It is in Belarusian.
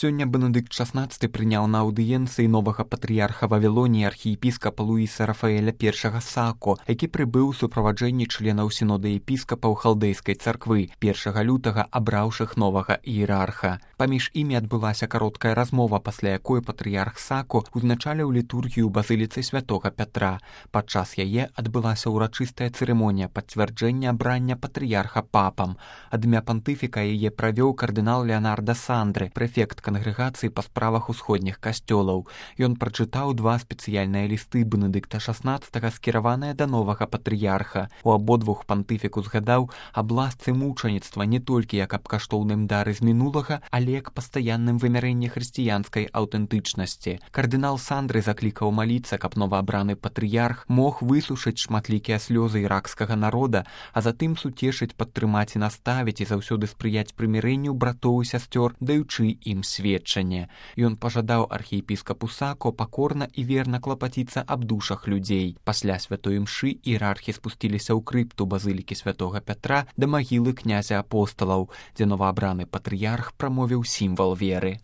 Сёння Бенедыкт XVI прыняў на аўдыенцыі новага патрыярха Вавілоніі архіепіскапа Луіса Рафаэля I Сако, які прыбыў у суправаджэнні членаў сінода епіскапаў халдэйскай царквы, 1 лютага абраўшых новага іерарха. Паміж імі адбылася кароткая размова, пасля якой патрыярх Сако узначаліў літургію ў базыліцы святога Пятра. Падчас яе адбылася ўрачыстая цырымонія пацвярджэння абрання патрыярха папам. Ад імя пантыфіка яе правёў кардынал Леонардо Сандры, прэфект кангрэгацыі па справах усходніх касцёлаў. Ён прачытаў 2 спецыяльныя лісты Бенедыкта XVI, скіраваныя да новага патрыярха. У абодвух пантыфік узгадаў аб ласцы мучаніцтва не толькі як аб каштоўным дары з мінулага, але як пастаянным вымярэнні хрысціянскай аўтэнтычнасці. Кардынал Сандры заклікаў маліцца, каб новаабраны патрыярх мог высушыць шматлікія слёзы іракскага народа, а затым суцешыць, падтрымаць і наставіць і заўсёды спрыяць прымірэнню братоў і сясцёр, даючы ім сведчанне. Ён пажадаў архіепіскапу Сако пакорна і верна клапаціцца аб душах людзей. Пасля святой імшы іерархі спусціліся ў крыпту базылікі святога Пятра да магілы князя апосталаў, дзе новаабраны патрыярх прамовіў сімвал веры.